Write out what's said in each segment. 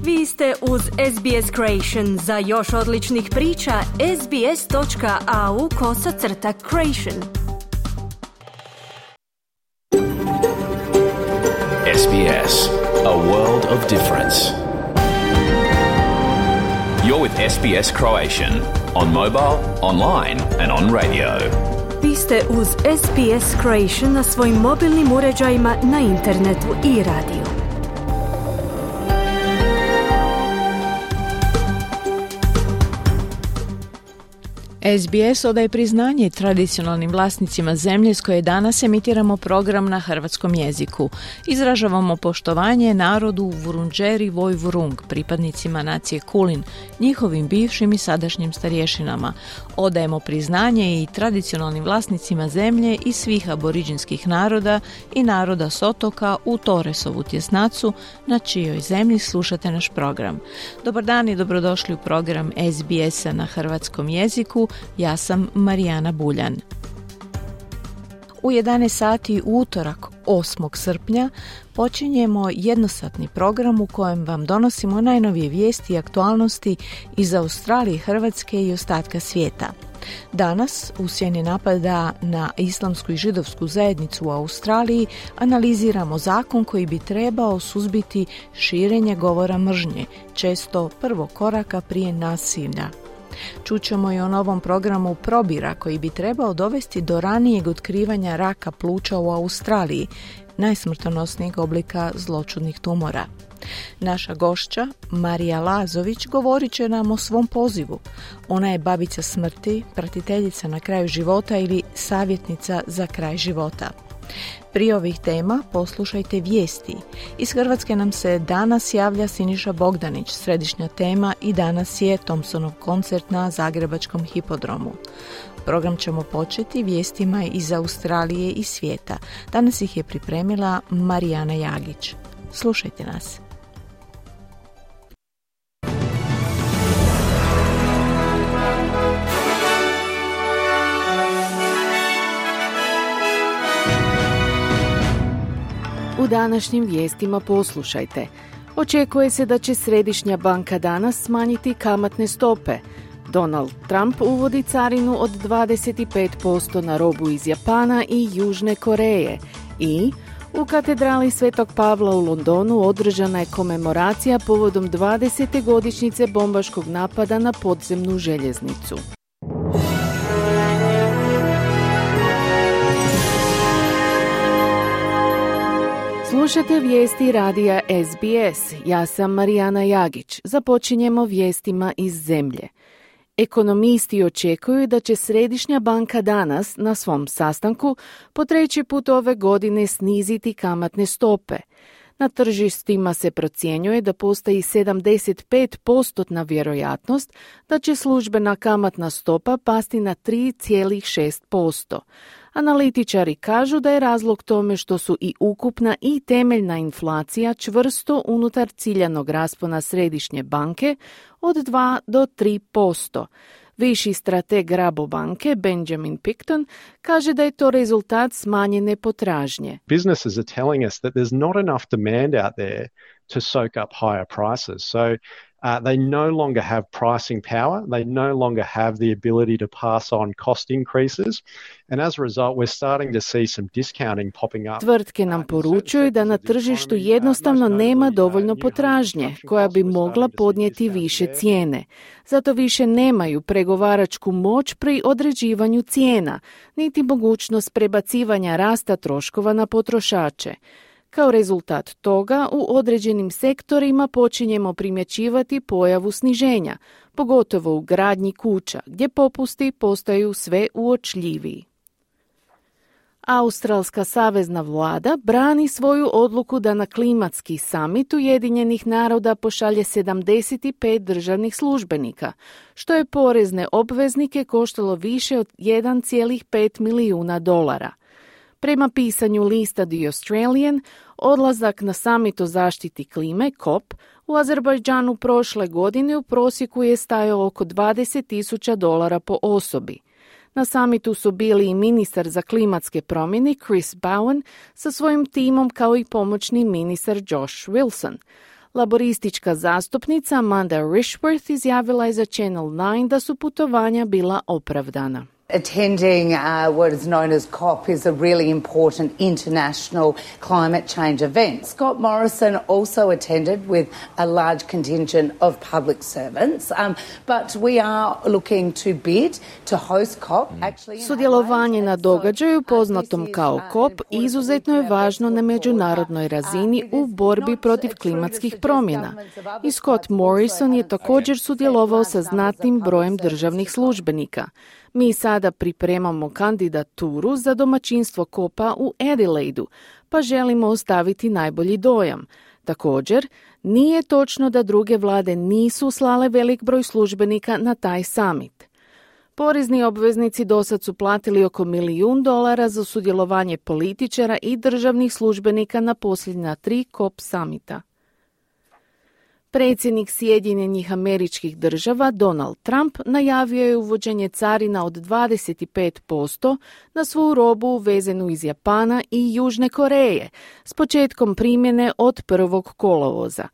Vi ste uz SBS Creation. Za još odličnih priča, sbs.au/creation. SBS, a world of difference. You're with SBS Croatian on mobile, online and on radio. Vi ste uz SBS Creation na svojim mobilnim uređajima, na internetu i radiju. SBS odaje priznanje tradicionalnim vlasnicima zemlje s koje danas emitiramo program na hrvatskom jeziku. Izražavamo poštovanje narodu Vurundjeri Woi-wurrung, pripadnicima nacije Kulin, njihovim bivšim i sadašnjim starješinama. Odajemo priznanje i tradicionalnim vlasnicima zemlje i svih aboriđinskih naroda i naroda s otoka u Torresovu tjesnacu, na čijoj zemlji slušate naš program. Dobar dan i dobrodošli u program SBS-a na hrvatskom jeziku. Ja sam Marijana Buljan. U 11 sati utorak 8. srpnja počinjemo jednosatni program u kojem vam donosimo najnovije vijesti i aktualnosti iz Australije, Hrvatske i ostatka svijeta. Danas, u sjeni napada na islamsku i židovsku zajednicu u Australiji, analiziramo zakon koji bi trebao suzbiti širenje govora mržnje, često prvog koraka prije nasilja. Čućemo i o novom programu probira koji bi trebao dovesti do ranijeg otkrivanja raka pluća u Australiji, najsmrtonosnijeg oblika zloćudnih tumora. Naša gošća, Marija Lazović, govorit će nam o svom pozivu. Ona je babica smrti, pratiteljica na kraju života ili savjetnica za kraj života. Prije ovih tema poslušajte vijesti. Iz Hrvatske nam se danas javlja Siniša Bogdanić, središnja tema, i danas je Thompsonov koncert na Zagrebačkom hipodromu. Program ćemo početi vijestima iz Australije i svijeta. Danas ih je pripremila Marijana Jagić. Slušajte nas. U današnjim vijestima poslušajte. Očekuje se da će Središnja banka danas smanjiti kamatne stope. Donald Trump uvodi carinu od 25% na robu iz Japana i Južne Koreje. I u katedrali Svetog Pavla u Londonu održana je komemoracija povodom 20. godišnjice bombaškog napada na podzemnu željeznicu. Slušate vijesti radija SBS. Ja sam Marijana Jagić. Započinjemo vijestima iz zemlje. Ekonomisti očekuju da će Središnja banka danas na svom sastanku po treći put ove godine sniziti kamatne stope. Na tržištima se procjenjuje da postoji 75% vjerojatnost da će službena kamatna stopa pasti na 3,6%. Analitičari kažu da je razlog tome što su i ukupna i temeljna inflacija čvrsto unutar ciljanog raspona Središnje banke od 2 do 3%. Viši strateg Rabobanke Benjamin Picton kaže da je to rezultat smanjene potražnje. Businesses are telling us that there's not enough demand out there to soak up higher prices. So they no longer have pricing power. They no longer have the ability to pass on cost increases. And as a result, we're starting to see some discounting popping up. Tvrtke nam poručuju da na tržištu jednostavno nema dovoljno potražnje koja bi mogla podnijeti više cijene. Zato više nemaju pregovaračku moć pri određivanju cijena, niti mogućnost prebacivanja rasta troškova na potrošače. Kao rezultat toga, u određenim sektorima počinjemo primjećivati pojavu sniženja, pogotovo u gradnji kuća, gdje popusti postaju sve uočljiviji. Australska savezna vlada brani svoju odluku da na klimatski samit Ujedinjenih naroda pošalje 75 državnih službenika, što je porezne obveznike koštalo više od 1,5 milijuna dolara. Prema pisanju lista The Australian, odlazak na samit o zaštiti klime, COP, u Azerbajdžanu prošle godine u prosjeku je stajao oko $20,000 po osobi. Na samitu su bili i ministar za klimatske promjene Chris Bowen sa svojim timom kao i pomoćni ministar Josh Wilson. Laboristička zastupnica Amanda Rishworth izjavila je za Channel 9 da su putovanja bila opravdana. Attending what is known as COP is a really important international climate change event. Scott Morrison also attended with a large contingent of public servants, but we are looking to bid to host COP. Sudjelovanje na događaju poznatom kao COP izuzetno je važno na međunarodnoj razini u borbi protiv klimatskih promjena. I Scott Morrison je također sudjelovao sa znatnim brojem državnih službenika. Mi sada pripremamo kandidaturu za domaćinstvo COP-a u Adelaidu, pa želimo ostaviti najbolji dojam. Također, nije točno da druge vlade nisu slale velik broj službenika na taj summit. Porezni obveznici dosad su platili oko $1 milijun za sudjelovanje političara i državnih službenika na posljednja 3 COP summita. Predsjednik Sjedinjenih Američkih Država Donald Trump najavio je uvođenje carina od 25% na svu robu uvezenu iz Japana i Južne Koreje s početkom primjene od 1. kolovoza.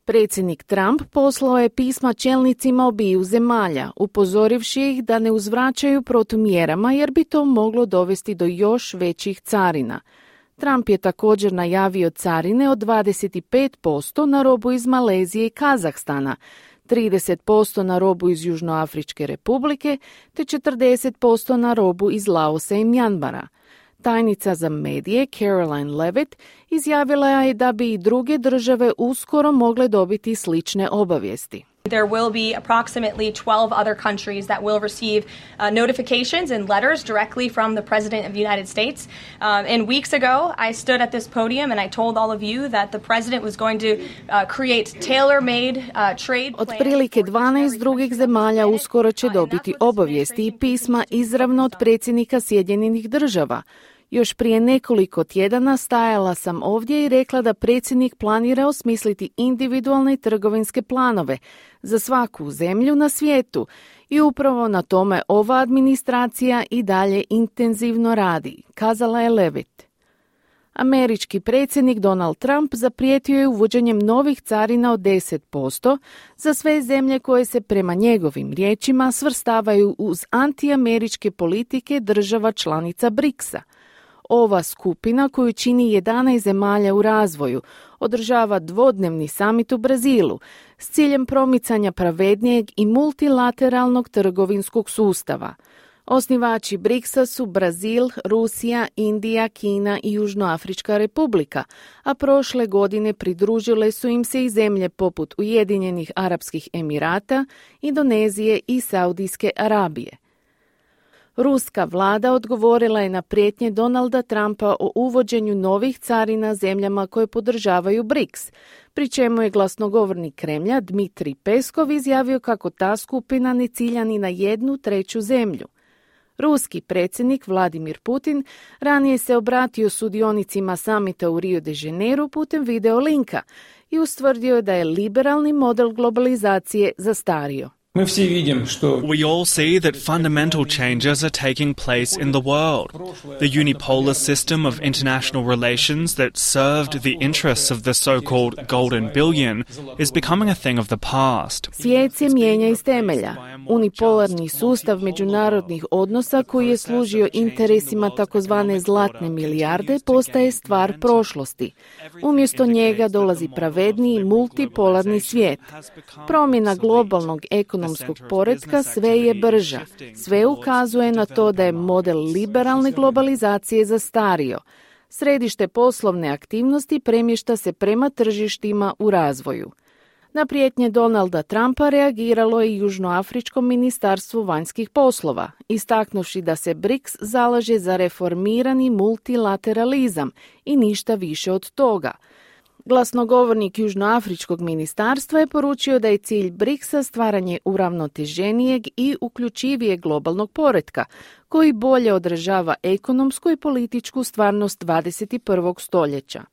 Predsjednik Trump poslao je pisma čelnicima obiju zemalja, upozorivši ih da ne uzvraćaju protumjerama jer bi to moglo dovesti do još većih carina. Trump je također najavio carine od 25% na robu iz Malezije i Kazahstana, 30% na robu iz Južnoafričke republike te 40% na robu iz Laosa i Mjanmara. Tajnica za medije Caroline Levitt izjavila je da bi i druge države uskoro mogle dobiti slične obavijesti. There will be approximately 12 other countries that will receive notifications and letters directly from the President of the United States. And weeks ago, I stood at this podium and I told all of you that the President was going to create tailor-made trade plans. Otprilike 12 drugih zemalja uskoro će dobiti obavijesti i pisma izravno od predsjednika Sjedinjenih Država. Još prije nekoliko tjedana stajala sam ovdje i rekla da predsjednik planira osmisliti individualne trgovinske planove za svaku zemlju na svijetu i upravo na tome ova administracija i dalje intenzivno radi, kazala je Levitt. Američki predsjednik Donald Trump zaprijetio je uvođenjem novih carina od 10% za sve zemlje koje se prema njegovim riječima svrstavaju uz antiameričke politike država članica BRICS-a. Ova skupina, koju čini 11 zemalja u razvoju, održava dvodnevni samit u Brazilu s ciljem promicanja pravednijeg i multilateralnog trgovinskog sustava. Osnivači BRICS-a su Brazil, Rusija, Indija, Kina i Južnoafrička republika, a prošle godine pridružile su im se i zemlje poput Ujedinjenih Arapskih Emirata, Indonezije i Saudijske Arabije. Ruska vlada odgovorila je na prijetnje Donalda Trumpa o uvođenju novih carina zemljama koje podržavaju BRICS, pri čemu je glasnogovornik Kremlja Dmitrij Peskov izjavio kako ta skupina ne cilja ni na 1/3 zemlju. Ruski predsjednik Vladimir Putin ranije se obratio sudionicima samita u Rio de Janeiro putem video linka i ustvrdio da je liberalni model globalizacije zastario. We all see that fundamental changes are taking place in the world. The unipolar system of international relations that served the interests of the so-called golden billion is becoming a thing of the past. Svijet se mijenja iz temelja. Unipolarni sustav međunarodnih odnosa koji je služio interesima takozvane zlatne milijarde postaje stvar prošlosti. Umjesto njega dolazi pravedniji multipolarni svijet. Promjena globalnog ekonomskog poretka sve je brža. Sve ukazuje na to da je model liberalne globalizacije zastario. Središte poslovne aktivnosti premješta se prema tržištima u razvoju. Na prijetnje Donalda Trumpa reagiralo je i Južnoafričko ministarstvo vanjskih poslova, istaknuvši da se BRICS zalaže za reformirani multilateralizam i ništa više od toga. Glasnogovornik Južnoafričkog ministarstva je poručio da je cilj BRICS-a stvaranje uravnoteženijeg i uključivijeg globalnog poretka, koji bolje odražava ekonomsku i političku stvarnost 21. stoljeća.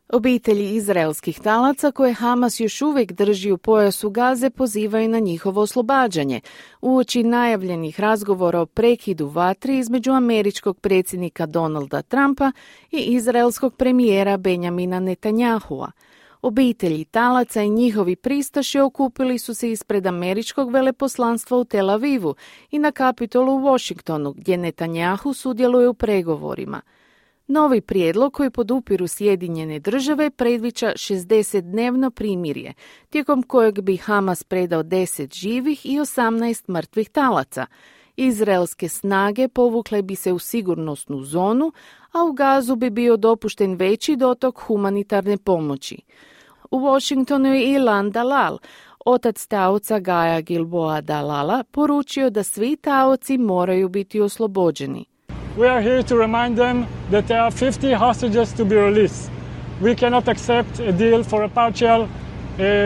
Obitelji izraelskih talaca koje Hamas još uvijek drži u pojasu Gaze pozivaju na njihovo oslobađanje, uoči najavljenih razgovora o prekidu vatri između američkog predsjednika Donalda Trumpa i izraelskog premijera Benjamina Netanyahua. Obitelji talaca i njihovi pristaši okupili su se ispred američkog veleposlanstva u Tel Avivu i na Kapitolu u Washingtonu, gdje Netanjahu sudjeluje u pregovorima. Novi prijedlog koji podupiru Sjedinjene države predviđa 60-dnevno primirje, tijekom kojeg bi Hamas predao 10 živih i 18 mrtvih talaca. Izraelske snage povukle bi se u sigurnosnu zonu, a u Gazu bi bio dopušten veći dotok humanitarne pomoći. U Washingtonu je Ilan Dalal, otac taoca Gaja Gilboa Dalala, poručio da svi taoci moraju biti oslobođeni. We are here to remind them that there are 50 hostages to be released. We cannot accept a deal for a partial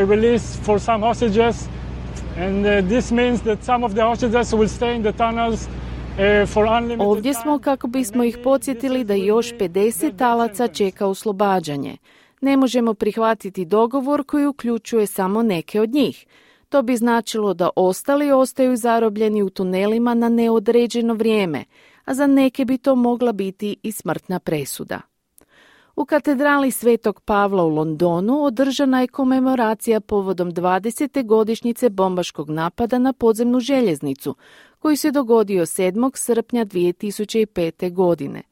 release for some hostages, and this means that some of the hostages will stay in the tunnels for unlimited time. Ovdje smo kako bismo ih podsjetili da još 50 talaca čeka oslobađanje. Ne možemo prihvatiti dogovor koji uključuje samo neke od njih. To bi značilo da ostali ostaju zarobljeni u tunelima na neodređeno vrijeme, a za neke bi to mogla biti i smrtna presuda. U katedrali Svetog Pavla u Londonu održana je komemoracija povodom 20. godišnjice bombaškog napada na podzemnu željeznicu, koji se dogodio 7. srpnja 2005. godine.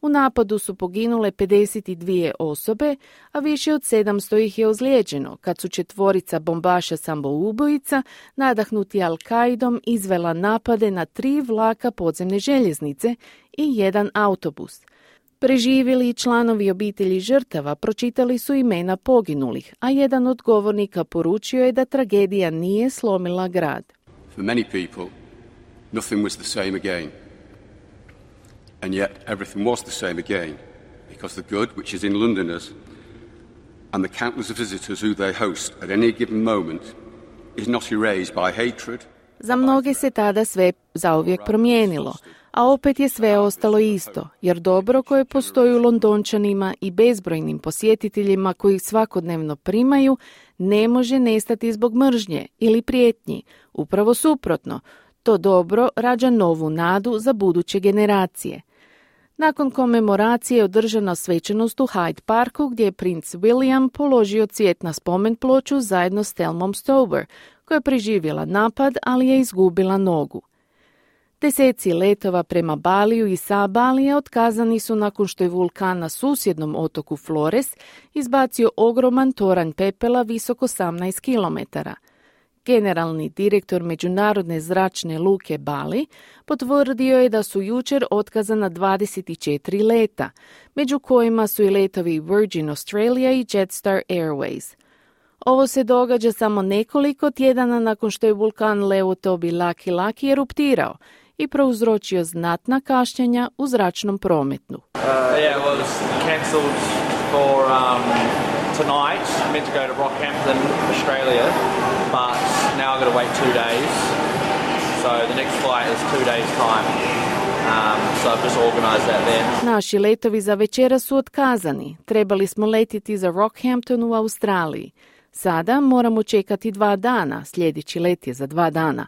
U napadu su poginule 52 osobe, a više od 700 ih je ozlijeđeno, kad su 4 bombaša samoubojica, nadahnuti Al-Kaidom, izvela napade na 3 vlaka podzemne željeznice i 1 autobus. Preživjeli članovi obitelji žrtava pročitali su imena poginulih, a jedan od govornika poručio je da tragedija nije slomila grad. For many people, nothing was the same again. And yet everything was the same again, because the good which is in Londoners and the countless visitors who they host at any given moment is not erased by hatred. Za mnoge se tada sve zauvijek promijenilo, a opet je sve ostalo isto, jer dobro koje postoji u Londončanima i bezbrojnim posjetiteljima koji svakodnevno primaju ne može nestati zbog mržnje ili prijetnji. Upravo suprotno, to dobro rađa novu nadu za buduće generacije. Nakon komemoracije je održana svečanost u Hyde Parku gdje je princ William položio cvijet na spomen ploču zajedno s Thelmom Stover, koja je preživjela napad, ali je izgubila nogu. Deseci letova prema Baliju i sa Balija otkazani su nakon što je vulkan na susjednom otoku Flores izbacio ogroman toranj pepela visok 18 kilometara. Generalni direktor Međunarodne zračne luke Bali potvrdio je da su jučer otkazana 24 leta, među kojima su i letovi Virgin Australia i Jetstar Airways. Ovo se događa samo nekoliko tjedana nakon što je vulkan Leotobi Laki Laki eruptirao i prouzročio znatna kašnjenja u zračnom prometu. Yeah, it was cancelled for tonight. I'm meant to go to Rockhampton, Australia, but now I've got to wait 2 days. So the next flight is 2 days time. So I've just organized that then. Naši letovi za večera su otkazani. Trebali smo letiti za Rockhampton u Australiji. Sada moramo čekati 2 dana, sljedeći let je za 2 dana.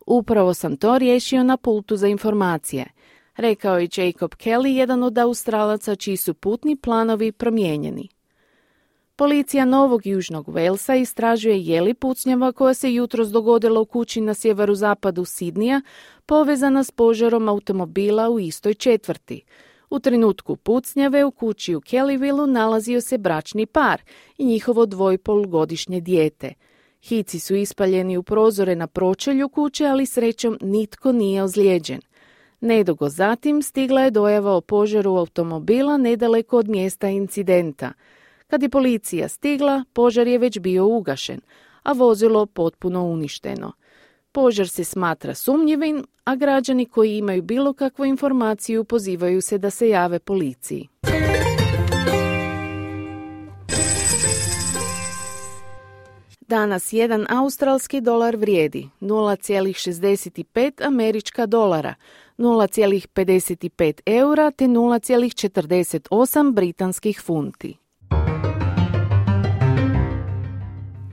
Upravo sam to riješio na pultu za informacije, rekao je Jacob Kelly, jedan od Australaca čiji su putni planovi promijenjeni. Policija Novog Južnog Walesa istražuje je li pucnjava koja se jutros dogodila u kući na sjeverozapadu Sidnija povezana s požarom automobila u istoj četvrti. U trenutku pucnjave u kući u Kellyvilleu nalazio se bračni par i njihovo 2,5-godišnje dijete. Hici su ispaljeni u prozore na pročelju kuće, ali srećom nitko nije ozlijeđen. Nedugo zatim stigla je dojava o požaru automobila nedaleko od mjesta incidenta. Kad je policija stigla, požar je već bio ugašen, a vozilo potpuno uništeno. Požar se smatra sumnjivim, a građani koji imaju bilo kakvu informaciju pozivaju se da se jave policiji. Danas jedan australski dolar vrijedi 0,65 američka dolara, 0,55 eura te 0,48 britanskih funti.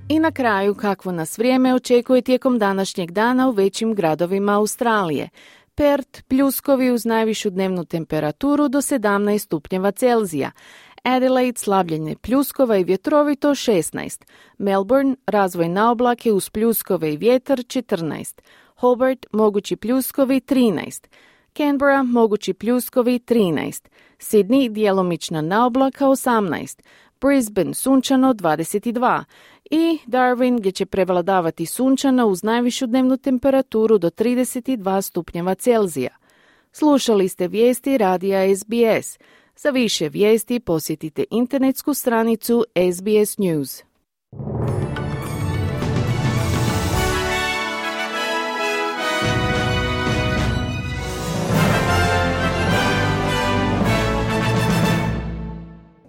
I na kraju kakvo nas vrijeme očekuje tijekom današnjeg dana u većim gradovima Australije. Perth pljuskovi uz najvišu dnevnu temperaturu do 17 stupnjeva Celzija. Adelaide slabljenje pljuskova i vjetrovito 16, Melbourne razvoj na oblake uz pljuskove i vjetar 14, Hobart mogući pljuskovi 13, Canberra mogući pljuskovi 13, Sydney djelomična naoblaka 18, Brisbane sunčano 22 i Darwin gdje će prevladavati sunčano uz najvišu dnevnu temperaturu do 32 stupnjeva Celzija. Slušali ste vijesti radija SBS. Za više vijesti posjetite internetsku stranicu SBS News.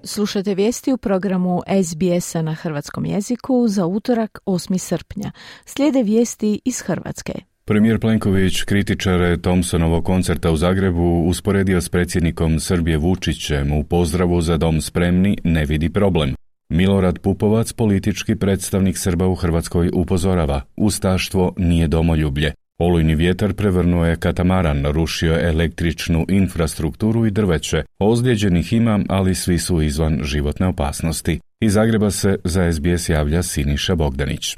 Slušate vijesti u programu SBS-a na hrvatskom jeziku za utorak 8. srpnja. Slijede vijesti iz Hrvatske. Premijer Plenković kritičare Thompsonovog koncerta u Zagrebu usporedio s predsjednikom Srbije Vučićem u pozdravu Za dom spremni ne vidi problem. Milorad Pupovac, politički predstavnik Srba u Hrvatskoj, upozorava: ustaštvo nije domoljublje. Olujni vjetar prevrnuo je katamaran, rušio je električnu infrastrukturu i drveće. Ozlijeđenih ima, ali svi su izvan životne opasnosti. Iz Zagreba se za SBS javlja Siniša Bogdanić.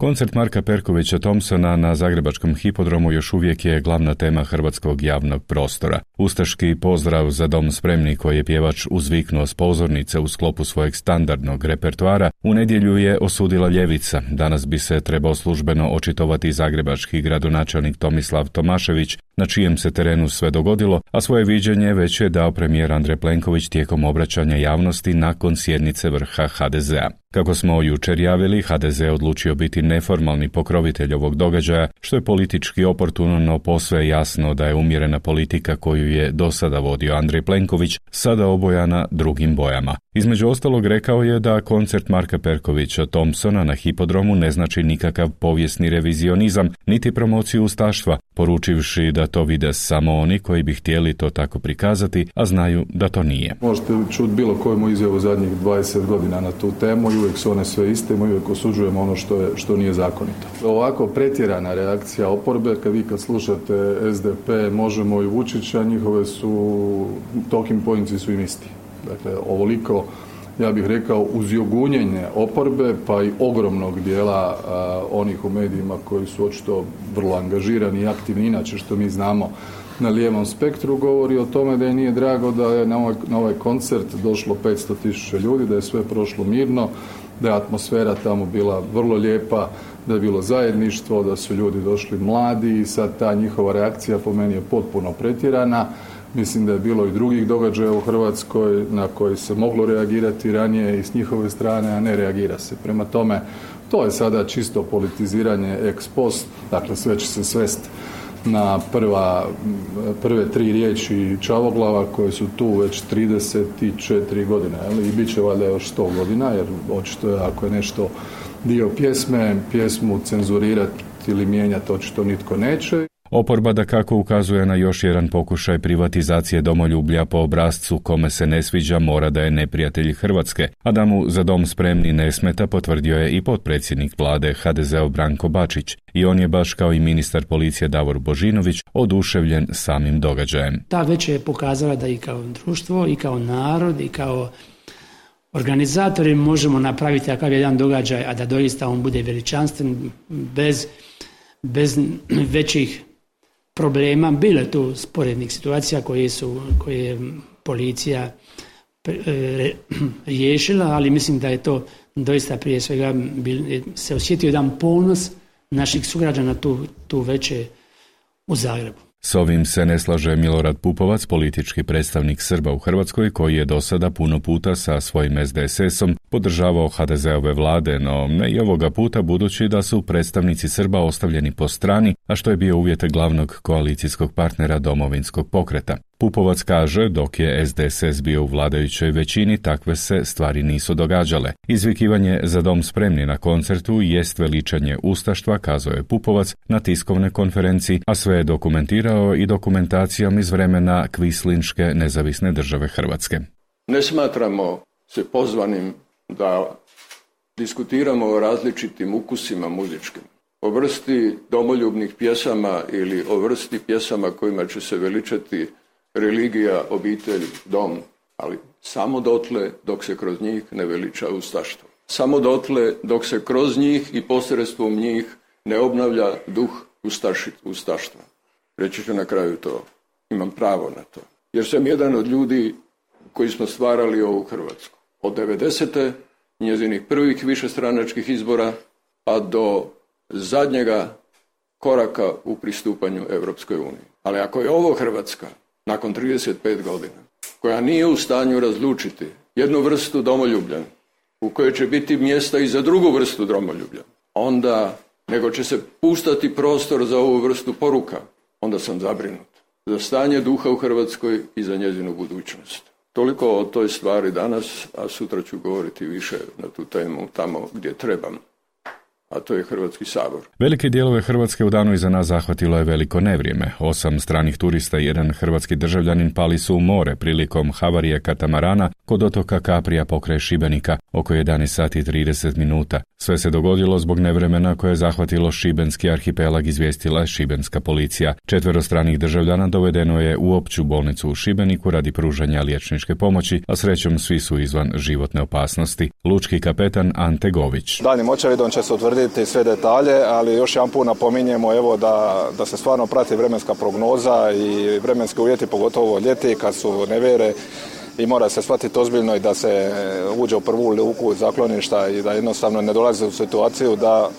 Koncert Marka Perkovića Thompsona na zagrebačkom hipodromu još uvijek je glavna tema hrvatskog javnog prostora. Ustaški pozdrav Za dom spremni koji je pjevač uzviknuo s pozornice u sklopu svojeg standardnog repertoara u nedjelju je osudila ljevica. Danas bi se trebao službeno očitovati zagrebački gradonačelnik Tomislav Tomašević, na čijem se terenu sve dogodilo, a svoje viđenje već je dao premijer Andrej Plenković tijekom obraćanja javnosti nakon sjednice vrha HDZ-a. Kako smo jučer javili, HDZ je odlučio biti neformalni pokrovitelj ovog događaja, što je politički oportuno, no posve jasno da je umjerena politika koju je do sada vodio Andrej Plenković sada obojana drugim bojama. Između ostalog rekao je da koncert Marka Perkovića Thompsona na hipodromu ne znači nikakav povijesni revizionizam, niti promociju ustaštva, poručivši da to vide samo oni koji bi htjeli to tako prikazati, a znaju da to nije. Možete čuti bilo koju izjavu zadnjih 20 godina na tu temu i uvijek su one sve iste, mi uvijek osuđujemo ono što nije zakonito. Ovako pretjerana reakcija oporbe, kad slušate SDP, Možemo i Vučića, njihove su talking pointsi su im isti. Dakle, ovoliko, ja bih rekao, uzjogunjenje oporbe, pa i ogromnog dijela onih u medijima koji su očito vrlo angažirani i aktivni, inače što mi znamo na lijevom spektru, govori o tome da je nije drago da je na ovaj koncert došlo 500.000 ljudi, da je sve prošlo mirno, da je atmosfera tamo bila vrlo lijepa, da je bilo zajedništvo, da su ljudi došli mladi i sad ta njihova reakcija po meni je potpuno pretjerana. Mislim da je bilo i drugih događaja u Hrvatskoj na koji se moglo reagirati ranije i s njihove strane, a ne reagira se. Prema tome, to je sada čisto politiziranje ex post, dakle sve će se svesti na prve 3 riječi Čavoglava koje su tu već 34 godine, ali i bit će valjda još 100 godina, jer očito je ako je nešto dio pjesme, pjesmu cenzurirati ili mijenjati očito nitko neće. Oporba dakako ukazuje na još jedan pokušaj privatizacije domoljublja po obrascu kome se ne sviđa mora da je neprijatelj Hrvatske, a da mu Za dom spremni ne smeta potvrdio je i potpredsjednik vlade HDZ-ov Branko Bačić. I on je baš kao i ministar policije Davor Božinović oduševljen samim događajem. Ta već je pokazala da i kao društvo, i kao narod, i kao organizatori možemo napraviti takav jedan događaj, a da doista on bude veličanstven, bez većih problema. Bilo je tu sporednih situacija koje je policija riješila, ali mislim da je to doista prije svega se osjetio jedan ponos naših sugrađana tu veće u Zagrebu. S ovim se ne slaže Milorad Pupovac, politički predstavnik Srba u Hrvatskoj, koji je do sada puno puta sa svojim SDSS-om podržavao HDZ-ove vlade, no ne i ovoga puta budući da su predstavnici Srba ostavljeni po strani, a što je bio uvjet glavnog koalicijskog partnera Domovinskog pokreta. Pupovac kaže, dok je SDSS bio u vladajućoj većini, takve se stvari nisu događale. Izvikivanje Za dom spremni na koncertu jest veličanje ustaštva, kazao je Pupovac na tiskovnoj konferenciji, a sve je dokumentirao i dokumentacijom iz vremena Kvislinške nezavisne države Hrvatske. Ne smatramo se pozvanim da diskutiramo o različitim ukusima muzičkim, o vrsti domoljubnih pjesama ili o vrsti pjesama kojima će se veličati religija, obitelj, dom. ali samo dotle dok se kroz njih ne veliča ustaštvo. Samo dotle dok se kroz njih i posredstvom njih ne obnavlja duh ustaštva. Reći ću na kraju to. Imam pravo na to. Jer sam jedan od ljudi koji smo stvarali ovu Hrvatsku. Od 90. njezinih prvih višestranačkih izbora pa do zadnjega koraka u pristupanju Europskoj uniji. Ali ako je ovo Hrvatska, nakon 35 godina, koja nije u stanju razlučiti jednu vrstu domoljublja, u kojoj će biti mjesta i za drugu vrstu domoljublja, onda, nego će se pustati prostor za ovu vrstu poruka, onda sam zabrinut za stanje duha u Hrvatskoj i za njezinu budućnost. Toliko o toj stvari danas, a sutra ću govoriti više na tu temu tamo gdje trebam, a to je Hrvatski sabor. Velike dijelove Hrvatske u danu iza nas zahvatilo je veliko nevrijeme. 8 stranih turista i 1 hrvatski državljanin pali su u more prilikom havarije katamarana kod otoka Kaprija pokraj Šibenika oko 11 sati 30 minuta. Sve se dogodilo zbog nevremena koje je zahvatilo šibenski arhipelag, izvijestila je šibenska policija. 4 stranih državljana dovedeno je u opću bolnicu u Šibeniku radi pružanja liječničke pomoći, a srećom svi su izvan životne opasnosti. Lučki kapetan Ante Gović. Daljnjim očevidom će se utvrditi sve detalje, ali još jedan put napominjemo da se stvarno prati vremenska prognoza i vremenski uvjeti, pogotovo ljeti kad su nevjere, i mora se shvatiti ozbiljno i da se uđe u prvu luku zakloništa i da jednostavno ne dolazi u situaciju da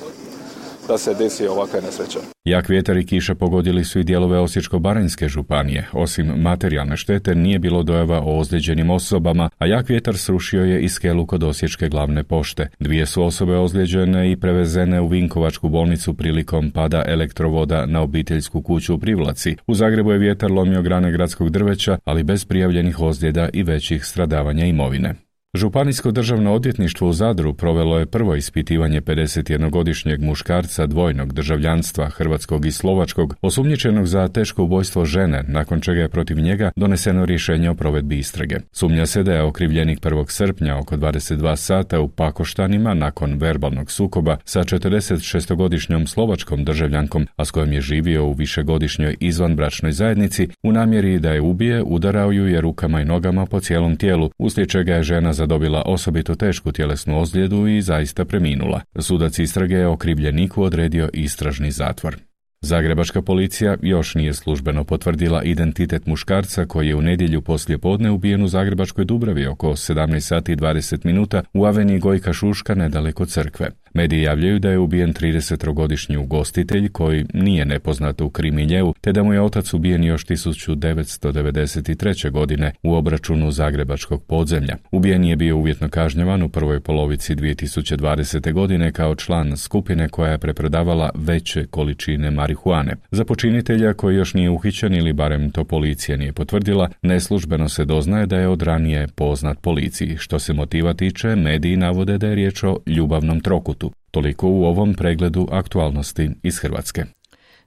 se desi ovakve nesreće. Jak vjetar i kiša pogodili su i dijelove Osječko-baranjske županije. Osim materijalne štete nije bilo dojava o ozlijeđenim osobama, a jak vjetar srušio je i skelu kod Osječke glavne pošte. 2 su osobe ozlijeđene i prevezene u Vinkovačku bolnicu prilikom pada elektrovoda na obiteljsku kuću u Privlaci. U Zagrebu je vjetar lomio grane gradskog drveća, ali bez prijavljenih ozljeda i većih stradavanja imovine. Županijsko državno odvjetništvo u Zadru provelo je prvo ispitivanje 51-godišnjeg muškarca dvojnog državljanstva, hrvatskog i slovačkog, osumnjičenog za teško ubojstvo žene, nakon čega je protiv njega doneseno rješenje o provedbi istrage. Sumnja se da je okrivljenik 1. srpnja oko 22 sata u Pakoštanima nakon verbalnog sukoba sa 46-godišnjom slovačkom državljankom, a s kojom je živio u višegodišnjoj izvanbračnoj zajednici, u namjeri da je ubije, udarao ju je rukama i nogama po cijelom tijelu, uslijed čega je žena zadobila osobito tešku tjelesnu ozljedu i zaista preminula. Sudac istrage je okrivljeniku odredio istražni zatvor. Zagrebačka policija još nije službeno potvrdila identitet muškarca koji je u nedjelju poslijepodne ubijen u Zagrebačkoj Dubravi oko 17 sati i 20 minuta u aveniji Gojka Šuška nedaleko crkve. Mediji javljaju da je ubijen 30-godišnji ugostitelj koji nije nepoznat u krimiljeu, te da mu je otac ubijen još 1993. godine u obračunu zagrebačkog podzemlja. Ubijen je bio uvjetno kažnjavan u prvoj polovici 2020. godine kao član skupine koja je preprodavala veće količine marihuane. Za počinitelja koji još nije uhićen ili barem to policija nije potvrdila, neslužbeno se doznaje da je od ranije poznat policiji. Što se motiva tiče, mediji navode da je riječ o ljubavnom trokutu. Toliko u ovom pregledu aktualnosti iz Hrvatske.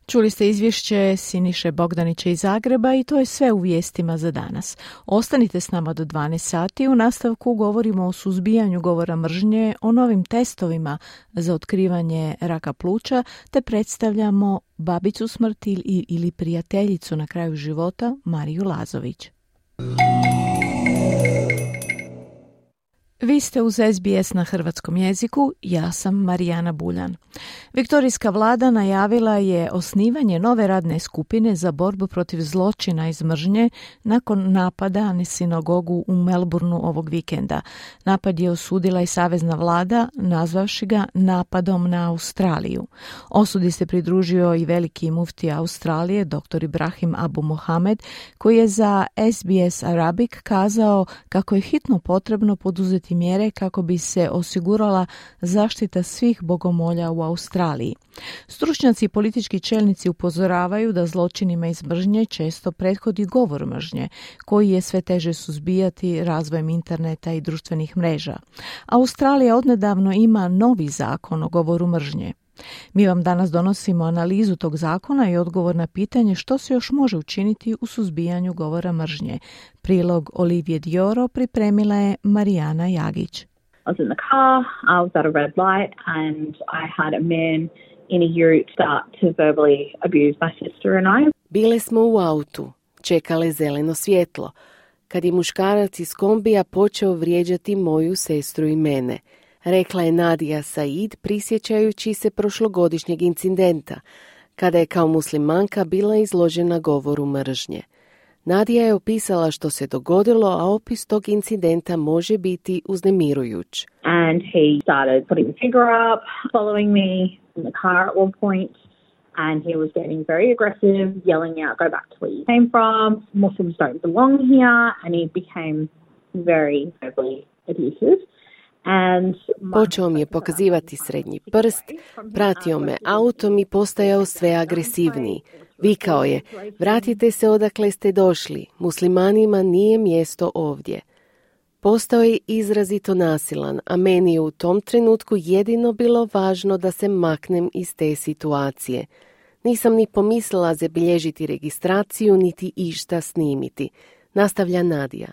Čuli ste izvješće Siniše Bogdanića iz Zagreba i to je sve u vijestima za danas. Ostanite s nama do 12 sati. U nastavku govorimo o suzbijanju govora mržnje, o novim testovima za otkrivanje raka pluća, te predstavljamo babicu smrti ili prijateljicu na kraju života Mariju Lazović. Vi ste uz SBS na hrvatskom jeziku, ja sam Marijana Buljan. Viktorijska vlada najavila je osnivanje nove radne skupine za borbu protiv zločina iz mržnje nakon napada na sinagogu u Melbourneu ovog vikenda. Napad je osudila i savezna vlada, nazvavši ga napadom na Australiju. Osudi se pridružio i veliki mufti Australije, dr. Ibrahim Abu Mohamed, koji je za SBS Arabic kazao kako je hitno potrebno poduzeti mjere kako bi se osigurala zaštita svih bogomolja u Australiji. Stručnjaci i politički čelnici upozoravaju da zločinima iz mržnje često prethodi govor mržnje, koji je sve teže suzbijati razvojem interneta i društvenih mreža. Australija odnedavno ima novi zakon o govoru mržnje. Mi vam danas donosimo analizu tog zakona i odgovor na pitanje što se još može učiniti u suzbijanju govora mržnje. Prilog Olivije Dioro pripremila je Marijana Jagić. I was in the car, I was at a red light and I had a man in a ute start to verbally abuse my sister and I. Bile smo u autu, čekale zeleno svjetlo. kad je muškarac iz kombija počeo vrijeđati moju sestru i mene, rekla je Nadia Said prisjećajući se prošlogodišnjeg incidenta, kada je kao muslimanka bila izložena govoru mržnje. Nadia je opisala što se dogodilo, a opis tog incidenta može biti uznemirujuć. And he started putting the finger up, following me in the car at one point, and he was getting very aggressive, yelling out, "Go back to where you came from, Muslims don't belong here," and he became very verbally abusive. Počeo mi je pokazivati srednji prst, pratio me autom i postajao sve agresivniji. Vikao je, vratite se odakle ste došli, muslimanima nije mjesto ovdje. Postao je izrazito nasilan, a meni je u tom trenutku jedino bilo važno da se maknem iz te situacije. Nisam ni pomislila zabilježiti registraciju, niti išta snimiti, nastavlja Nadia.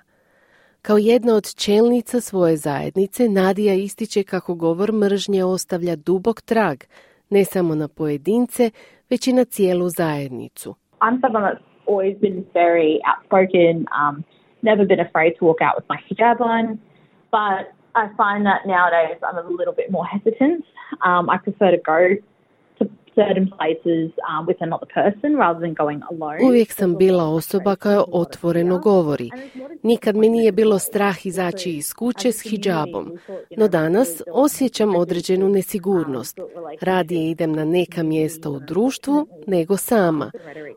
Kao jedna od čelnica svoje zajednice, Nadia ističe kako govor mržnje ostavlja dubok trag, ne samo na pojedince, već i na cijelu zajednicu. I'm someone that's always been very outspoken, never been afraid to walk out with my hijab on, but I find that nowadays I'm a little bit more hesitant. I prefer to go to certain places with another person rather than going alone. Uvijek sam bila osoba koja otvoreno govori. Nikad me nije bilo strah izaći iz kuće s hidžabom, no danas osjećam određenu nesigurnost. Radije idem na neka mjesta u društvu nego sama.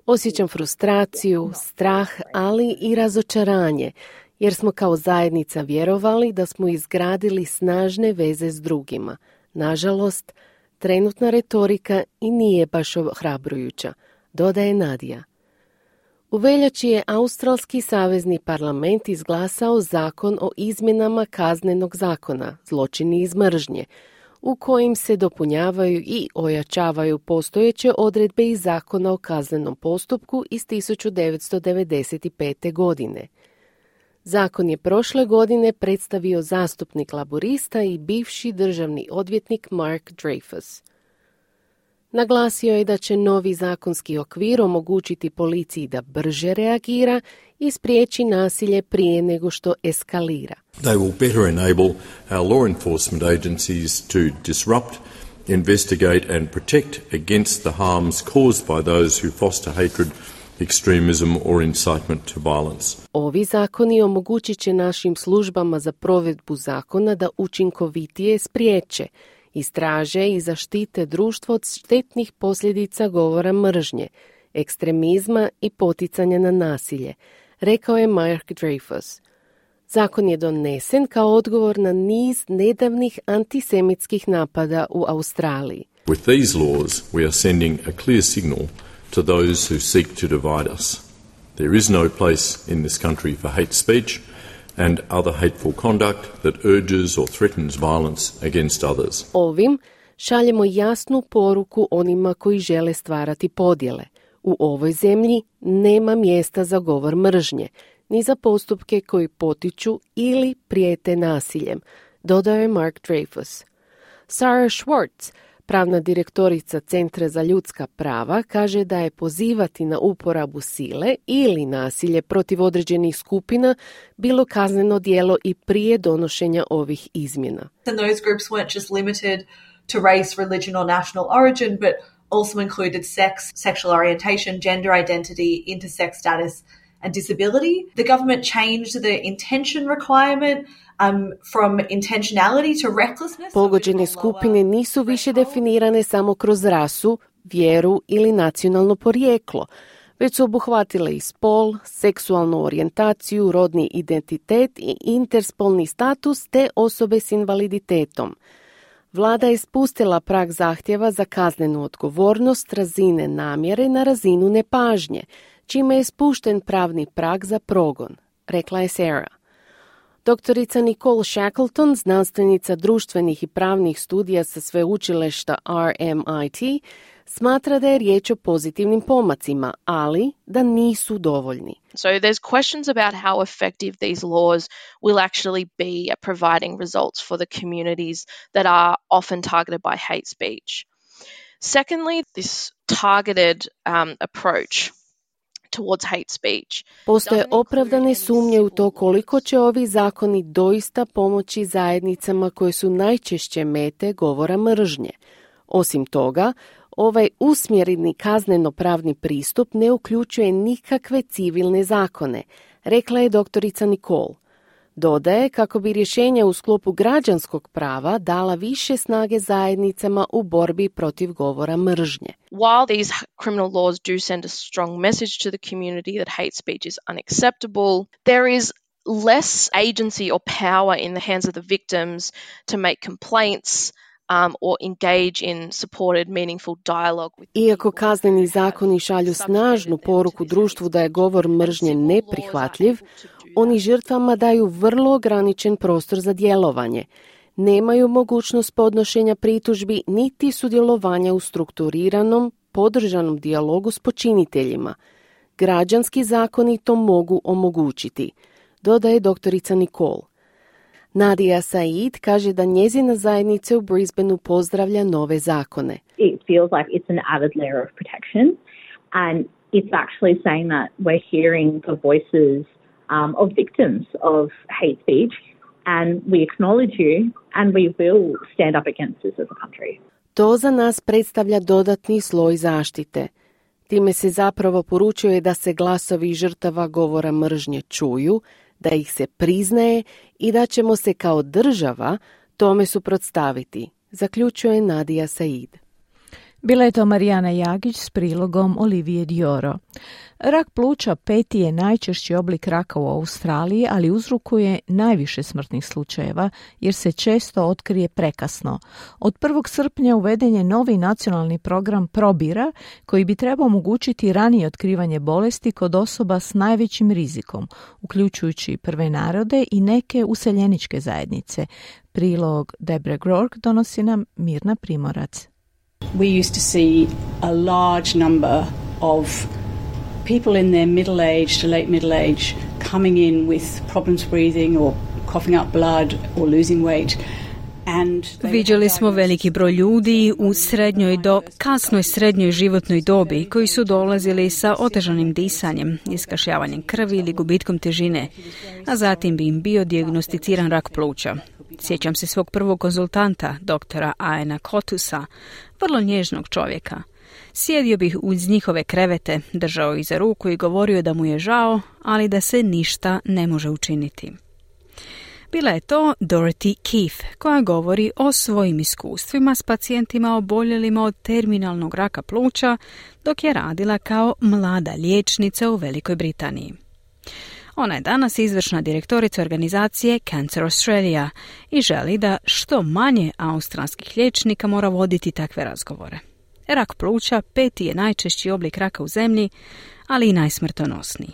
Osjećam frustraciju, strah, ali i razočaranje, jer smo kao zajednica vjerovali da smo izgradili snažne veze s drugima. Nažalost, trenutna retorika i nije baš ohrabrujuća, dodaje Nadia. U veljači je Australski savezni parlament izglasao zakon o izmjenama kaznenog zakona, zločini iz mržnje, u kojim se dopunjavaju i ojačavaju postojeće odredbe iz zakona o kaznenom postupku iz 1995. godine. Zakon je prošle godine predstavio zastupnik laborista i bivši državni odvjetnik Mark Dreyfus. Naglasio je da će novi zakonski okvir omogućiti policiji da brže reagira i spriječi nasilje prije nego što eskalira. They will better enable our law enforcement agencies to disrupt, investigate and protect against the harms caused by those who foster hatred, extremism or incitement to violence. Ovi zakoni omogućit će našim službama za provedbu zakona da učinkovitije spriječe, istraže i zaštite društvo od štetnih posljedica govora mržnje, ekstremizma i poticanja na nasilje, rekao je Mark Dreyfus. Zakon je donesen kao odgovor na niz nedavnih antisemitskih napada u Australiji. With these laws, we are sending a clear signal to those who seek to divide us. There is no place in this country for hate speech and other hateful conduct that urges or threatens violence against others. Ovim šaljemo jasnu poruku onima koji žele stvarati podjele. U ovoj zemlji nema mjesta za govor mržnje, ni za postupke koji potiču ili prijete nasiljem, dodao je Mark Dreyfus. Sarah Schwartz, pravna direktorica Centra za ljudska prava, kaže da je pozivati na uporabu sile ili nasilje protiv određenih skupina bilo kazneno djelo i prije donošenja ovih izmjena. And those groups weren't just limited to race, religion or national origin, but also included sex, sexual orientation, gender identity, intersex status and disability. The government changed the intention requirement from intentionality to recklessness. Pogođene skupine nisu više definirane samo kroz rasu, vjeru ili nacionalno porijeklo, već su obuhvatile i spol, seksualnu orijentaciju, rodni identitet i interspolni status te osobe s invaliditetom. Vlada je spustila prag zahtjeva za kaznenu odgovornost razine namjere na razinu nepažnje, čime je spušten pravni prag za progon, rekla je Sarah. Doktorica Nicole Shackleton, znanstvenica društvenih i pravnih studija sa sveučilišta RMIT, smatra da je riječ o pozitivnim pomacima, ali da nisu dovoljni. So there's questions about how effective these laws will actually be at providing results for the communities that are often targeted by hate speech. Secondly, this targeted approach towards hate speech. Postoje opravdane sumnje u to koliko će ovi zakoni doista pomoći zajednicama koje su najčešće mete govora mržnje. Osim toga, ovaj usmjereni kazneno-pravni pristup ne uključuje nikakve civilne zakone, rekla je doktorica Nicole. Dodaje kako bi rješenja u sklopu građanskog prava dala više snage zajednicama u borbi protiv govora mržnje. While these criminal laws do send a strong message to the community that hate speech is unacceptable, there is less agency or power in the hands of the victims to make complaints or engage in supported, meaningful dialogue with. Iako kazneni zakoni šalju snažnu poruku društvu da je govor mržnje neprihvatljiv, oni žrtvama daju vrlo ograničen prostor za djelovanje. Nemaju mogućnost podnošenja pritužbi niti sudjelovanja u strukturiranom, podržanom dijalogu s počiniteljima. Građanski zakoni to mogu omogućiti, dodaje doktorica Nicole. Nadia Said kaže da njezina zajednica u Brisbaneu pozdravlja nove zakone. It feels like it's an added layer of protection, and it's actually saying that we're hearing the voices of victims of hate speech, and we acknowledge you, and we will stand up against this as a country. To za nas predstavlja dodatni sloj zaštite. Time se zapravo poručuje da se glasovi žrtava govora mržnje čuju, da ih se priznaje i da ćemo se kao država tome suprotstaviti, zaključuje Nadia Said. Bila je to Marijana Jagić s prilogom Olivije Dioro. Rak pluća 5. je najčešći oblik raka u Australiji, ali uzrokuje najviše smrtnih slučajeva jer se često otkrije prekasno. Od 1. srpnja uveden je novi nacionalni program Probira koji bi trebao omogućiti ranije otkrivanje bolesti kod osoba s najvećim rizikom, uključujući prve narode i neke useljeničke zajednice. Prilog Debre Grork donosi nam Mirna Primorac. We used to see a large number of people in their middle age to late middle age coming in with problems breathing or coughing up blood or losing weight. Viđali smo veliki broj ljudi u srednjoj do kasnoj srednjoj životnoj dobi koji su dolazili sa otežanim disanjem, iskašljavanjem krvi ili gubitkom težine, a zatim bi im bio dijagnosticiran rak pluća. Sjećam se svog prvog konzultanta, doktora Aena Kotusa, vrlo nježnog čovjeka. Sjedio bih uz njihove krevete, držao ih za ruku i govorio da mu je žao, ali da se ništa ne može učiniti. Bila je to Dorothy Keefe, koja govori o svojim iskustvima s pacijentima oboljelima od terminalnog raka pluća, dok je radila kao mlada liječnica u Velikoj Britaniji. Ona je danas izvršna direktorica organizacije Cancer Australia i želi da što manje australskih liječnika mora voditi takve razgovore. Rak pluća 5. je najčešći oblik raka u zemlji, ali i najsmrtonosniji.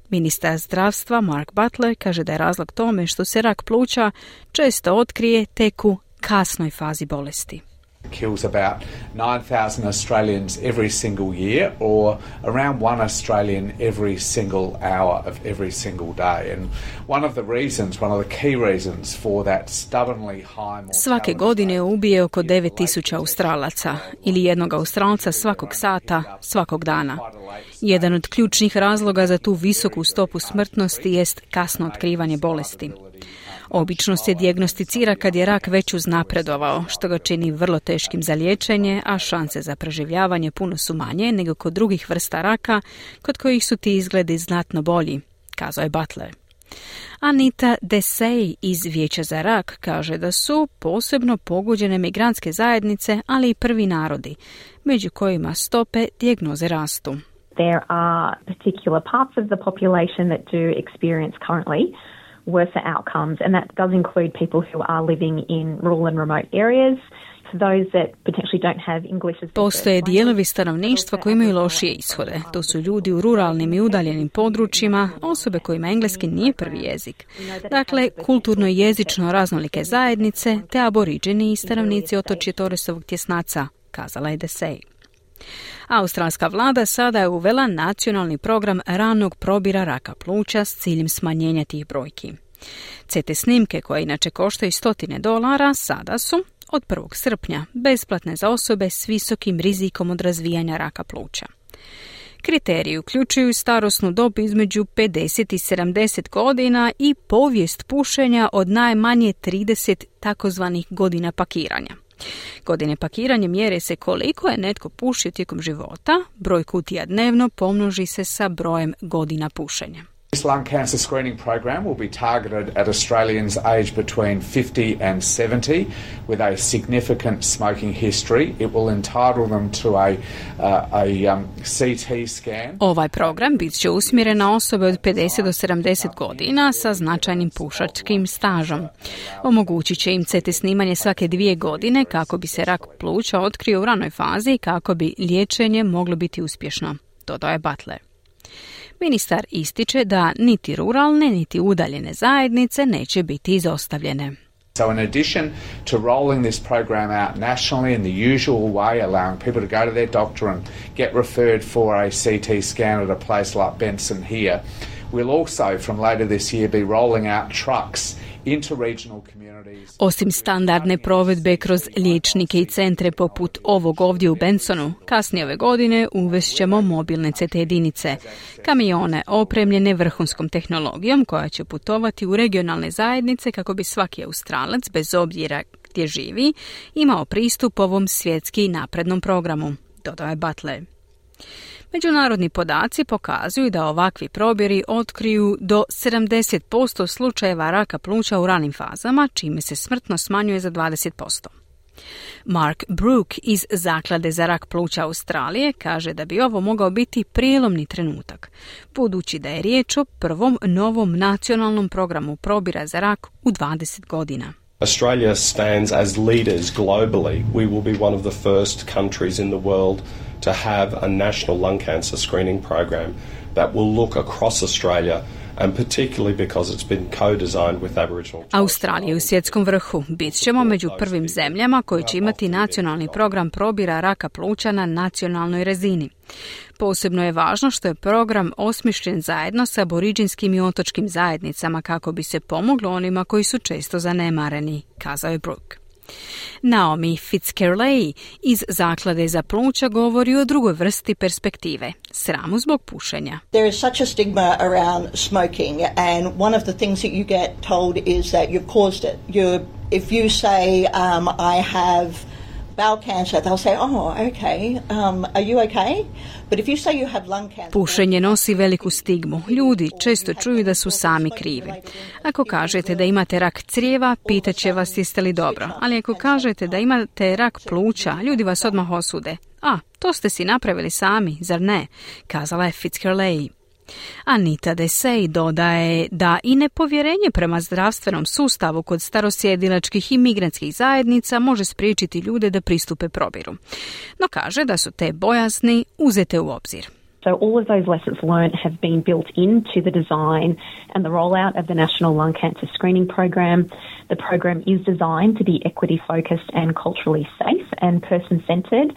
Ministar zdravstva Mark Butler kaže da je razlog tome što se rak pluća često otkrije tek u kasnoj fazi bolesti. Kills about 9,000 Australians every single year, or around 1 Australian every single hour of every single day. And one of the key reasons for that stubbornly high mortality. Svake godine ubije oko 9,000 Australaca ili jednog Australca svakog sata, svakog dana. Jedan od ključnih razloga za tu visoku stopu smrtnosti jest kasno otkrivanje bolesti. Obično se dijagnosticira kad je rak već uznapredovao, što ga čini vrlo teškim za liječenje, a šanse za preživljavanje puno su manje nego kod drugih vrsta raka, kod kojih su ti izgledi znatno bolji, kazao je Butler. Anita Desai iz Vijeća za rak kaže da su posebno pogođene migrantske zajednice, ali i prvi narodi, među kojima stope dijagnoze rastu. There are particular parts of the population that do experience currently worse outcomes, and that does include people who are living in rural and remote areas. Those that potentially don't have English as Postoje dijelovi stanovništva koji imaju lošije ishode. To su ljudi u ruralnim i udaljenim područjima, osobe kojima engleski nije prvi jezik. Dakle, kulturno i jezično raznolike zajednice te aboriđeni i stanovnici otočja Torresovog tjesnaca, kazala je Desai. Australska vlada sada je uvela nacionalni program ranog probira raka pluća s ciljem smanjenja tih brojki. CT snimke, koje inače koštaju $100, sada su od 1. srpnja besplatne za osobe s visokim rizikom od razvijanja raka pluća. Kriteriji uključuju starosnu dob između 50 i 70 godina i povijest pušenja od najmanje 30 takozvanih godina pakiranja. Godine pakiranja mjere se koliko je netko pušio tijekom života, broj kutija dnevno pomnoži se sa brojem godina pušenja. This lung cancer screening program will be targeted at Australians aged between 50 and 70 with a significant smoking history. It will entitle them to a CT scan. Ovaj program bit će usmjeren na osobe od 50 do 70 godina sa značajnim pušačkim stažom. Omogućit će im CT snimanje svake 2 godine kako bi se rak pluća otkrio u ranoj fazi i kako bi liječenje moglo biti uspješno, dodao je Butler. Ministar ističe da niti ruralne, niti udaljene zajednice neće biti izostavljene. So in addition to rolling this program out nationally in the usual way, allowing people to go to their doctor and get referred for a CT scan at a place like Benson here, we'll also from later this year be rolling out trucks into regional communities. Osim standardne provedbe kroz liječnike i centre poput ovog ovdje u Bensonu, kasnije ove godine uvest ćemo mobilne CT jedinice, kamione opremljene vrhunskom tehnologijom koja će putovati u regionalne zajednice kako bi svaki Australac, bez obzira gdje živi, imao pristup ovom svjetski naprednom programu, dodao je Butler. Međunarodni podaci pokazuju da ovakvi probiri otkriju do 70% slučajeva raka pluća u ranim fazama, čime se smrtno smanjuje za 20%. Mark Brook iz Zaklade za rak pluća Australije kaže da bi ovo mogao biti prijelomni trenutak, budući da je riječ o prvom novom nacionalnom programu probira za rak u 20 godina. Australia stands as leaders globally. We will be one of the first countries in the world to have a national lung cancer screening program that will look across Australia, and particularly because it's been co-designed with Aboriginal. Australija u svjetskom vrhu. Bit ćemo među prvim zemljama koji će imati nacionalni program probira raka pluća na nacionalnoj razini. Posebno je važno što je program osmišljen zajedno sa aboriđinskim i otočkim zajednicama kako bi se pomoglo onima koji su često zanemareni, kazao je Brook. Naomi Fitzgerald iz Zaklade za pluća govori o drugoj vrsti perspektive, sramu zbog pušenja. There is such a stigma around smoking, and one of the things that you get told is that you've caused it. If you say, I have bowel cancer, they'll say, oh, okay, are you okay? But if you say you have lung cancer... Pušenje nosi veliku stigmu. Ljudi često čuju da su sami krivi. Ako kažete da imate rak crijeva, pitaće vas jeste li dobro. Ali ako kažete da imate rak pluća, ljudi vas odmah osude. A, to ste si napravili sami, zar ne? Kazala je Fitzgerald. Anita Desai dodaje da i nepovjerenje prema zdravstvenom sustavu kod starosjedilačkih i migrantskih zajednica može spriječiti ljude da pristupe probiru. No kaže da su te bojazni uzete u obzir. So all of those lessons learned have been built into the design and the rollout of the National Lung Cancer Screening Program. The program is designed to be equity focused and culturally safe and person-centered.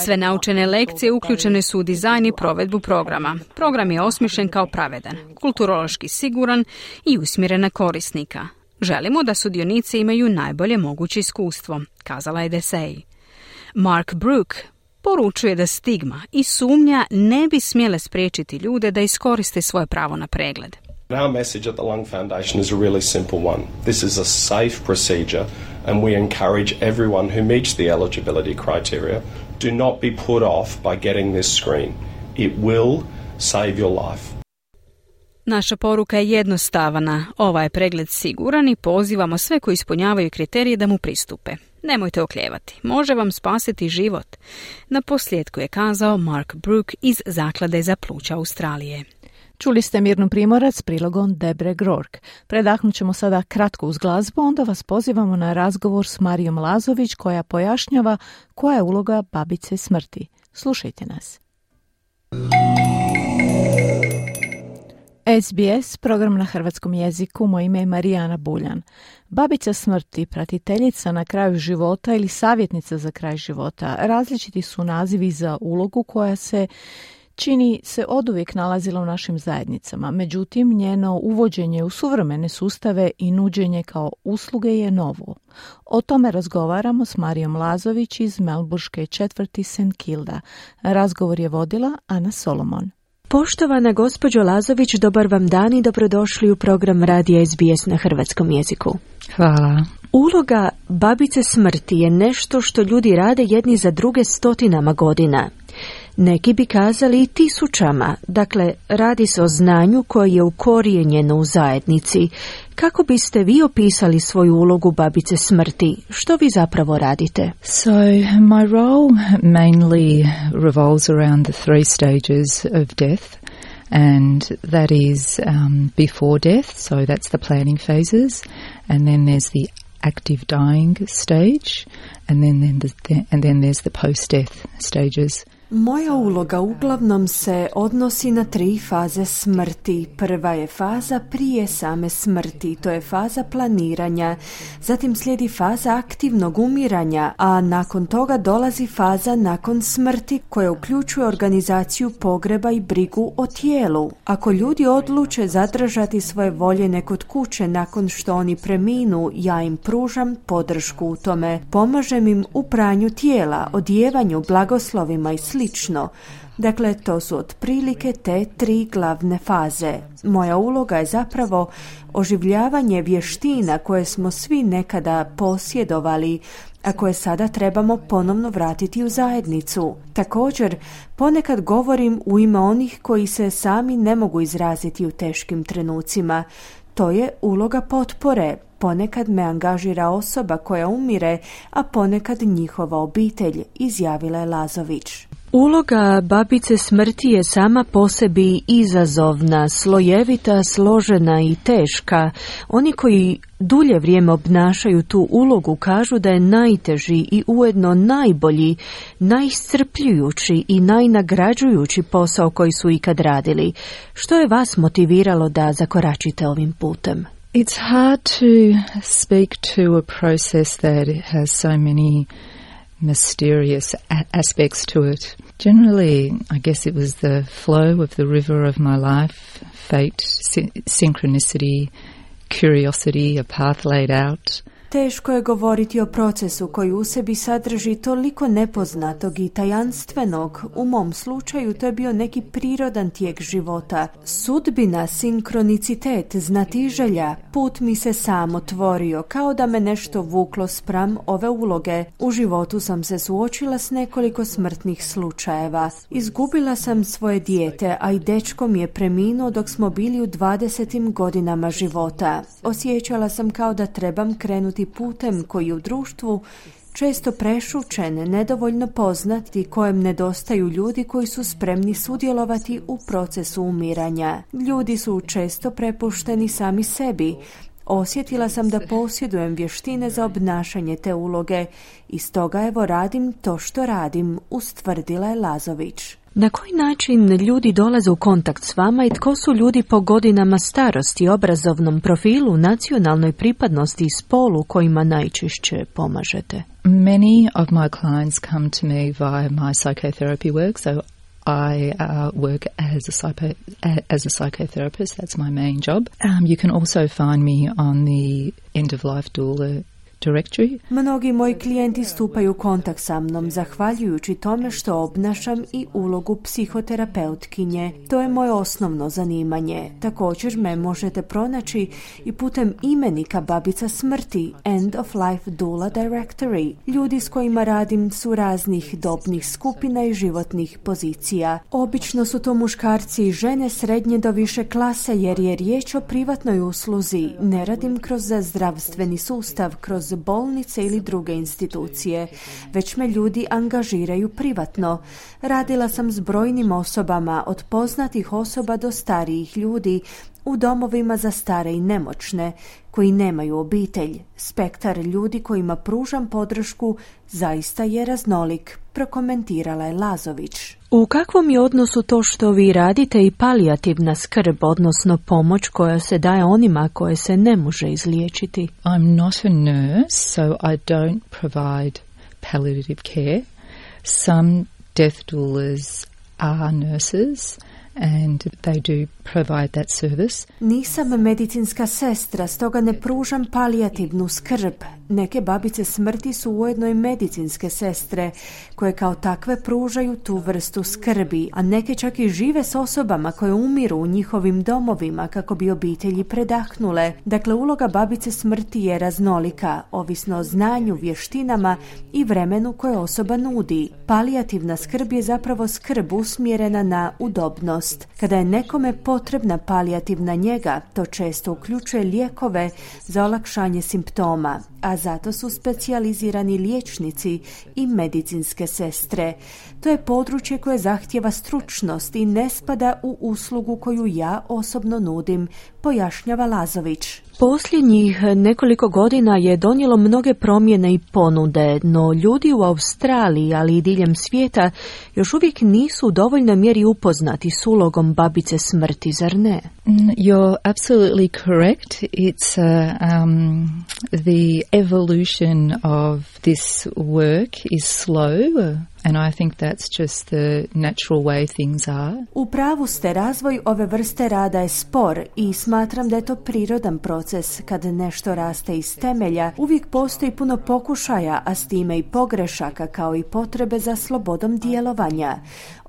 Sve naučene lekcije uključene su u dizajn i provedbu programa. Program je osmišljen kao pravedan, kulturološki siguran i usmjeren na korisnika. Želimo da sudionici imaju najbolje moguće iskustvo, kazala je Desai. Mark Brook poručuje da stigma i sumnja ne bi smjele spriječiti ljude da iskoriste svoje pravo na pregled. Our message at the Lung Foundation is a really simple one. This is a safe procedure and we encourage everyone who meets the eligibility criteria do not be put off by getting this screen. It will save your life. Naša poruka je jednostavna. Ovaj je pregled siguran i pozivamo sve koji ispunjavaju kriterije da mu pristupe. Nemojte oklijevati. Može vam spasiti život. Na posljedku je kazao Mark Brook iz Zaklade za pluća Australije. Čuli ste Mirnu Primorac s prilogom Debre Grork. Predahnut ćemo sada kratko uz glazbu, onda vas pozivamo na razgovor s Marijom Lazović koja pojašnjava koja je uloga babice smrti. Slušajte nas. SBS, program na hrvatskom jeziku, moje ime je Marijana Buljan. Babica smrti, pratiteljica na kraju života ili savjetnica za kraj života, različiti su nazivi za ulogu koja se Čini se oduvijek nalazila u našim zajednicama, međutim njeno uvođenje u suvremene sustave i nuđenje kao usluge je novo. O tome razgovaramo s Marijom Lazović iz melburške četvrti St. Kilda. Razgovor je vodila Ana Solomon. Poštovana gospođo Lazović, dobar vam dan i dobrodošli u program Radija SBS na hrvatskom jeziku. Hvala. Uloga babice smrti je nešto što ljudi rade jedni za druge stotinama godina. Neki bi kazali i tisućama, dakle radi se o znanju koje je ukorijenjeno u zajednici. Kako biste vi opisali svoju ulogu babice smrti? Što vi zapravo radite? So my role mainly revolves around the three stages of death. And that is before death, so that's the planning phases, and then there's the active dying stage, and then there's the post-death stages. Moja uloga uglavnom se odnosi na 3 faze smrti. Prva je faza prije same smrti, to je faza planiranja. Zatim slijedi faza aktivnog umiranja, a nakon toga dolazi faza nakon smrti koja uključuje organizaciju pogreba i brigu o tijelu. Ako ljudi odluče zadržati svoje voljene kod kuće nakon što oni preminu, ja im pružam podršku u tome. Pomažem im u pranju tijela, odijevanju, blagoslovima i slično. Dakle, to su otprilike te 3 glavne faze. Moja uloga je zapravo oživljavanje vještina koje smo svi nekada posjedovali, a koje sada trebamo ponovno vratiti u zajednicu. Također, ponekad govorim u ime onih koji se sami ne mogu izraziti u teškim trenucima. To je uloga potpore. Ponekad me angažira osoba koja umire, a ponekad njihova obitelj, izjavila je Lazović. Uloga babice smrti je sama po sebi izazovna, slojevita, složena i teška. Oni koji dulje vrijeme obnašaju tu ulogu kažu da je najteži i ujedno najbolji, najiscrpljujući i najnagrađujući posao koji su ikad radili. Što je vas motiviralo da zakoračite ovim putem? It's hard to speak to a process that has so many mysterious aspects to it. Generally, I guess it was the flow of the river of my life, fate, synchronicity, curiosity, a path laid out. Teško je govoriti o procesu koji u sebi sadrži toliko nepoznatog i tajanstvenog. U mom slučaju to je bio neki prirodan tijek života. Sudbina, sinkronicitet, znatiželja, put mi se sam otvorio, kao da me nešto vuklo spram ove uloge. U životu sam se suočila s nekoliko smrtnih slučajeva. Izgubila sam svoje dijete, a i dečko mi je preminuo dok smo bili u 20. godinama života. Osjećala sam kao da trebam krenuti putem koji u društvu često prešućen, nedovoljno poznati, kojem nedostaju ljudi koji su spremni sudjelovati u procesu umiranja. Ljudi su često prepušteni sami sebi. Osjetila sam da posjedujem vještine za obnašanje te uloge i stoga evo radim to što radim, ustvrdila je Lazović. Na koji način ljudi dolaze u kontakt s vama i tko su ljudi po godinama starosti, obrazovnom profilu, nacionalnoj pripadnosti i spolu kojima najčešće pomažete? Many of my clients come to me via my psychotherapy work, so I work as a psychotherapist. That's my main job. You can also find me on the end-of-life doula directory. Mnogi moji klijenti stupaju u kontakt sa mnom zahvaljujući tome što obnašam i ulogu psihoterapeutkinje. To je moje osnovno zanimanje. Također me možete pronaći i putem imenika babica smrti, End of Life Doula Directory. Ljudi s kojima radim su raznih dobnih skupina i životnih pozicija. Obično su to muškarci i žene srednje do više klase jer je riječ o privatnoj usluzi. Ne radim kroz zdravstveni sustav, kroz bolnice ili druge institucije, već me ljudi angažiraju privatno. Radila sam s brojnim osobama, od poznatih osoba do starijih ljudi, u domovima za stare i nemoćne, koji nemaju obitelj. Spektar ljudi kojima pružam podršku zaista je raznolik, prokomentirala je Lazović. U kakvom je odnosu to što vi radite i palijativna skrb, odnosno pomoć koja se daje onima koje se ne može izliječiti? I'm not a nurse, so I don't provide palliative care. Some death doulas are nurses and they do provide that service. Nisam medicinska sestra, stoga ne pružam palijativnu skrb. Neke babice smrti su ujedno i medicinske sestre, koje kao takve pružaju tu vrstu skrbi, a neke čak i žive s osobama koje umiru u njihovim domovima kako bi obitelji predahnule. Dakle, uloga babice smrti je raznolika, ovisno o znanju, vještinama i vremenu koje osoba nudi. Palijativna skrb je zapravo skrb usmjerena na udobnost. Kada je nekome potrebna palijativna njega, to često uključuje lijekove za olakšanje simptoma, a zato su specijalizirani liječnici i medicinske sestre. To je područje koje zahtijeva stručnost i ne spada u uslugu koju ja osobno nudim, pojašnjava Lazović. Posljednjih nekoliko godina je donijelo mnoge promjene i ponude, no ljudi u Australiji, ali i diljem svijeta, još uvijek nisu u dovoljnoj mjeri upoznati s ulogom babice smrti, zar ne? You're absolutely correct. It's the evolution of this work is slow. And I think that's just the natural way things are. U pravu ste, razvoj ove vrste rada je spor i smatram da je to prirodan proces. Kad nešto raste iz temelja, uvijek postoji puno pokušaja, a s time i pogrešaka, kao i potrebe za slobodom djelovanja.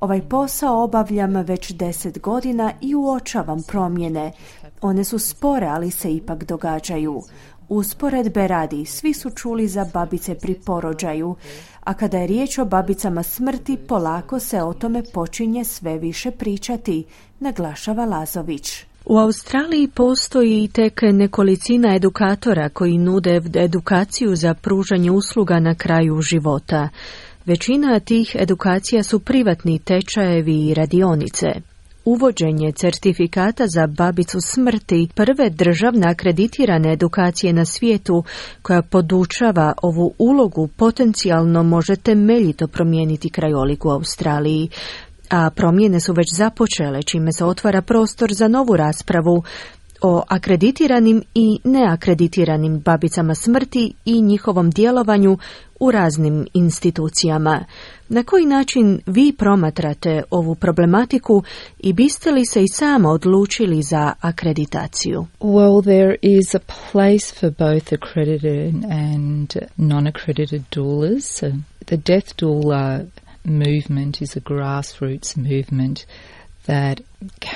Ovaj posao obavljam već 10 godina i uočavam promjene. One su spore, ali se ipak događaju. Usporedbe radi, svi su čuli za babice pri porođaju, a kada je riječ o babicama smrti, polako se o tome počinje sve više pričati, naglašava Lazović. U Australiji postoji tek nekolicina edukatora koji nude edukaciju za pružanje usluga na kraju života. Većina tih edukacija su privatni tečajevi i radionice. Uvođenje certifikata za babicu smrti, prve državne akreditirane edukacije na svijetu koja podučava ovu ulogu, potencijalno može temeljito promijeniti krajolik u Australiji. A promjene su već započele, čime se otvara prostor za novu raspravu o akreditiranim i neakreditiranim babicama smrti i njihovom djelovanju u raznim institucijama. Na koji način vi promatrate ovu problematiku i biste li se i sama odlučili za akreditaciju? Well, there is a place for both accredited and non-accredited doulas. The death doula movement is a grassroots movement that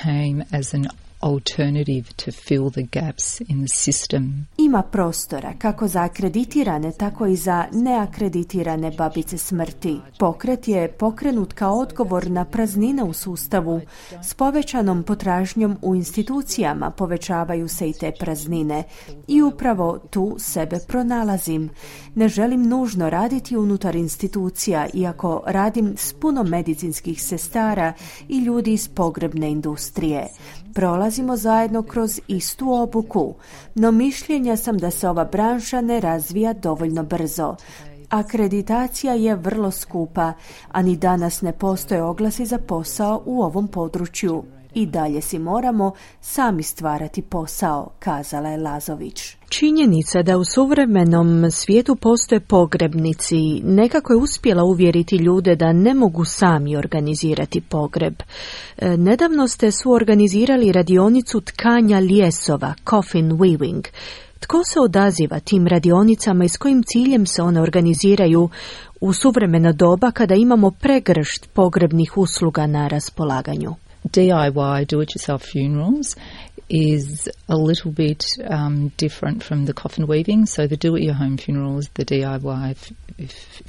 came as an alternative to fill the gaps in the system. Ima prostora kako za akreditirane, tako i za neakreditirane babice smrti. Pokret je pokrenut kao odgovor na praznine u sustavu. S povećanom potražnjom u institucijama povećavaju se i te praznine. I upravo tu sebe pronalazim. Ne želim nužno raditi unutar institucija, iako radim s puno medicinskih sestara i ljudi iz pogrebne industrije. Prolazimo zajedno kroz istu obuku, no mišljenja sam da se ova branša ne razvija dovoljno brzo. Akreditacija je vrlo skupa, a ni danas ne postoje oglasi za posao u ovom području. I dalje si moramo sami stvarati posao, kazala je Lazović. Činjenica da u suvremenom svijetu postoje pogrebnici nekako je uspjela uvjeriti ljude da ne mogu sami organizirati pogreb. Nedavno ste suorganizirali radionicu tkanja lijesova, coffin weaving. Tko se odaziva tim radionicama i s kojim ciljem se one organiziraju u suvremeno doba kada imamo pregršt pogrebnih usluga na raspolaganju? DIY, do-it-yourself funerals, is a little bit different from the coffin weaving. So the do-it-your-home funerals, the DIY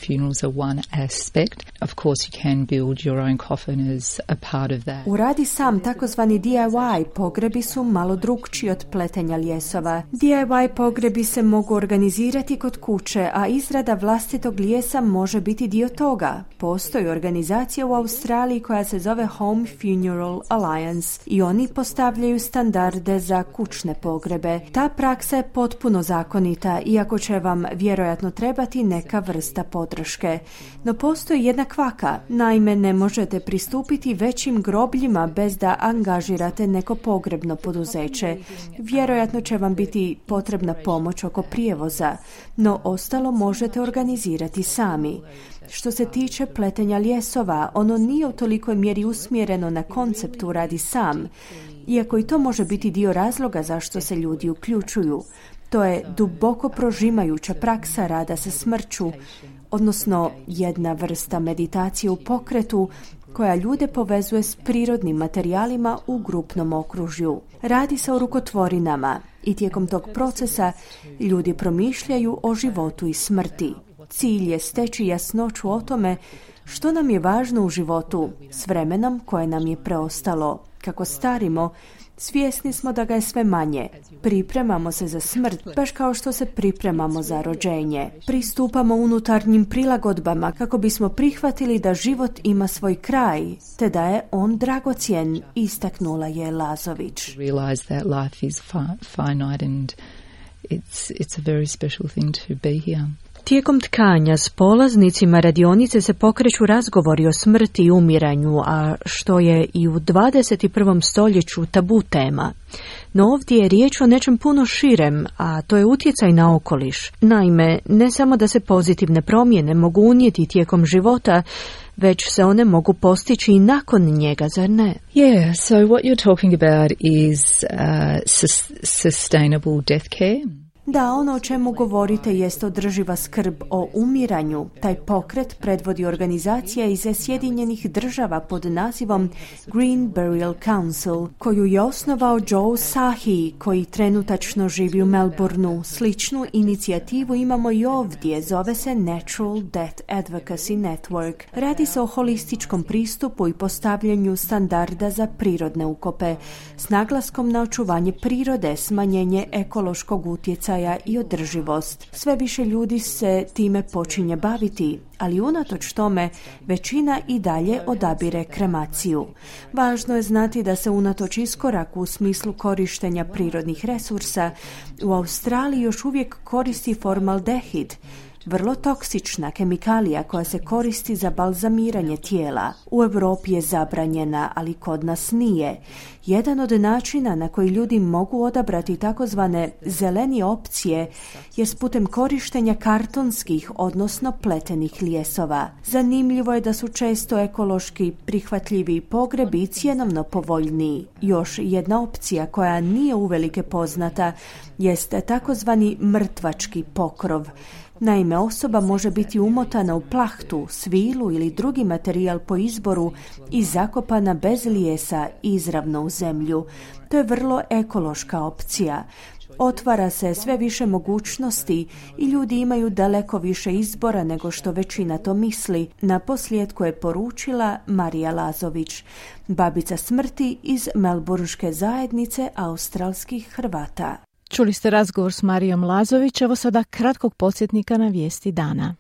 funerals are one aspect. Of course, you can build your own coffin as a part of that. Uradi sam, takozvani DIY pogrebi su malo drukčiji od pletenja lijesova. DIY pogrebi se mogu organizirati kod kuće, a izrada vlastitog lijesa može biti dio toga. Postoji organizacija u Australiji koja se zove Home Funeral Alliance i oni postavljaju standarde za kućne pogrebe. Ta praksa je potpuno zakonita, iako će vam vjerojatno trebati neka vrsta podrške. No postoji jedna kvaka. Naime, ne možete pristupiti većim grobljima bez da angažirate neko pogrebno poduzeće. Vjerojatno će vam biti potrebna pomoć oko prijevoza, no ostalo možete organizirati sami. Što se tiče pletenja ljesova, ono nije u tolikoj mjeri usmjereno na konceptu radi sam, iako i to može biti dio razloga zašto se ljudi uključuju. To je duboko prožimajuća praksa rada sa smrću, odnosno jedna vrsta meditacije u pokretu koja ljude povezuje s prirodnim materijalima u grupnom okružju. Radi se o rukotvorinama i tijekom tog procesa ljudi promišljaju o životu i smrti. Cilj je steći jasnoću o tome što nam je važno u životu s vremenom koje nam je preostalo. Kako starimo, svjesni smo da ga je sve manje. Pripremamo se za smrt, baš kao što se pripremamo za rođenje. Pristupamo unutarnjim prilagodbama kako bismo prihvatili da život ima svoj kraj, te da je on dragocjen, istaknula je Lazović. Realize that life is finite and it's a very special thing to be here. Tijekom tkanja s polaznicima radionice se pokreću razgovori o smrti i umiranju, a što je i u 21. stoljeću tabu tema. No ovdje je riječ o nečem puno širem, a to je utjecaj na okoliš. Naime, ne samo da se pozitivne promjene mogu unijeti tijekom života, već se one mogu postići i nakon njega, zar ne? Yeah, so what you're talking about is sustainable death care. Da, ono o čemu govorite jest održiva skrb o umiranju. Taj pokret predvodi organizacija iz Sjedinjenih država pod nazivom Green Burial Council, koju je osnovao Joe Sahi, koji trenutačno živi u Melbourneu. Sličnu inicijativu imamo i ovdje, zove se Natural Death Advocacy Network. Radi se o holističkom pristupu i postavljanju standarda za prirodne ukope, s naglaskom na očuvanje prirode, smanjenje ekološkog utjecaja i održivost. Sve više ljudi se time počinje baviti, ali unatoč tome većina i dalje odabire kremaciju. Važno je znati da se unatoč iskoraku u smislu korištenja prirodnih resursa u Australiji još uvijek koristi formaldehid, vrlo toksična kemikalija koja se koristi za balzamiranje tijela. U Europi je zabranjena, ali kod nas nije. Jedan od načina na koji ljudi mogu odabrati takozvane zeleni opcije je s putem korištenja kartonskih, odnosno pletenih ljesova. Zanimljivo je da su često ekološki prihvatljiviji pogrebi i cjenovno povoljniji. Još jedna opcija koja nije uvelike poznata jeste takozvani mrtvački pokrov. Naime, osoba može biti umotana u plahtu, svilu ili drugi materijal po izboru i zakopana bez lijesa izravno u zemlju. To je vrlo ekološka opcija. Otvara se sve više mogućnosti i ljudi imaju daleko više izbora nego što većina to misli. Naposljetku je poručila Marija Lazović, babica smrti iz melburške zajednice australskih Hrvata. Čuli ste razgovor s Marijom Lazović, evo sada kratkog podsjetnika na vijesti dana.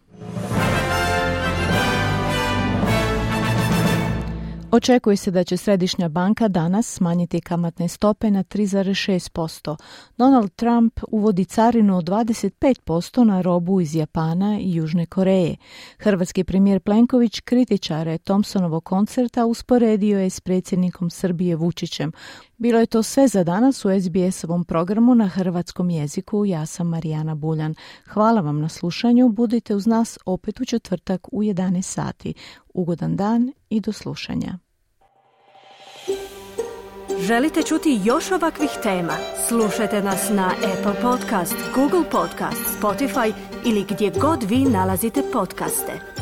Očekuje se da će Središnja banka danas smanjiti kamatne stope na 3,6%. Donald Trump uvodi carinu od 25% na robu iz Japana i Južne Koreje. Hrvatski premijer Plenković kritičare Thompsonovog koncerta usporedio je s predsjednikom Srbije Vučićem. Bilo je to sve za danas u SBS-ovom programu na hrvatskom jeziku. Ja sam Marijana Buljan. Hvala vam na slušanju. Budite uz nas opet u četvrtak u 11 sati. Ugodan dan i do slušanja. Želite čuti još ovakvih tema? Slušajte nas na Apple Podcast, Google Podcast, Spotify ili gdje god vi nalazite podcaste.